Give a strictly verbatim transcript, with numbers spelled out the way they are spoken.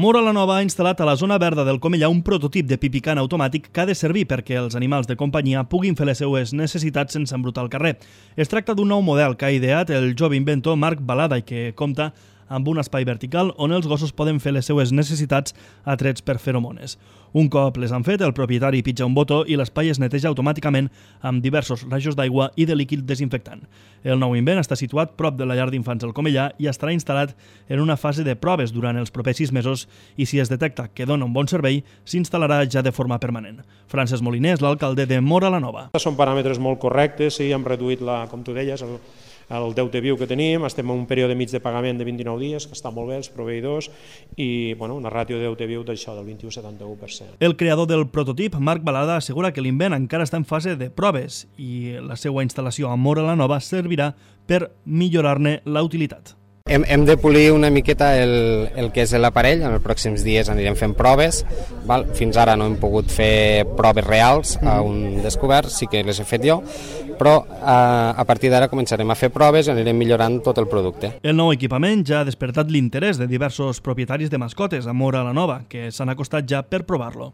Móra la Nova ha instal·lat a la zona verda del Comellà un prototip de pipicant automàtic que ha de servir perquè els animals de companyia puguin fer les seues necessitats sense embrutar el carrer. Es tracta d'un nou model que ha ideat el jove inventor Marc Balada i que compta amb un espai vertical on els gossos poden fer les seues necessitats atrets per feromones. Un cop les han fet, el propietari pitja un botó i l'espai es neteja automàticament amb diversos rajos d'aigua i de líquid desinfectant. El nou invent està situat prop de la llar d'infants del Comellà i estarà instal·lat en una fase de proves durant els propers sis mesos i si es detecta que dona un bon servei, s'instal·larà ja de forma permanent. Francesc Moliner és l'alcalde de Móra la Nova. Són paràmetres molt correctes, sí, hem reduït, la, com tu deies, el, el deute viu que tenim, estem en un període mig de pagament de vint-i-nou dies, que està molt bé, els proveïdors, i bueno, una ràtio de deute viu d'això del vint-i-u coma setanta-u per cent. El creador del prototip, Marc Balada, assegura que l'invent encara està en fase de proves i la seva instal·lació a Móra la Nova servirà per millorar-ne la utilitat. Hem, hem de polir una miqueta el, el que és l'aparell, en els pròxims dies anirem fent proves, val? Fins ara no hem pogut fer proves reals a un descobert, sí que les he fet jo, però a, a partir d'ara començarem a fer proves i anirem millorant tot el producte. El nou equipament ja ha despertat l'interès de diversos propietaris de mascotes a Móra la Nova, que s'han acostat ja per provar-lo.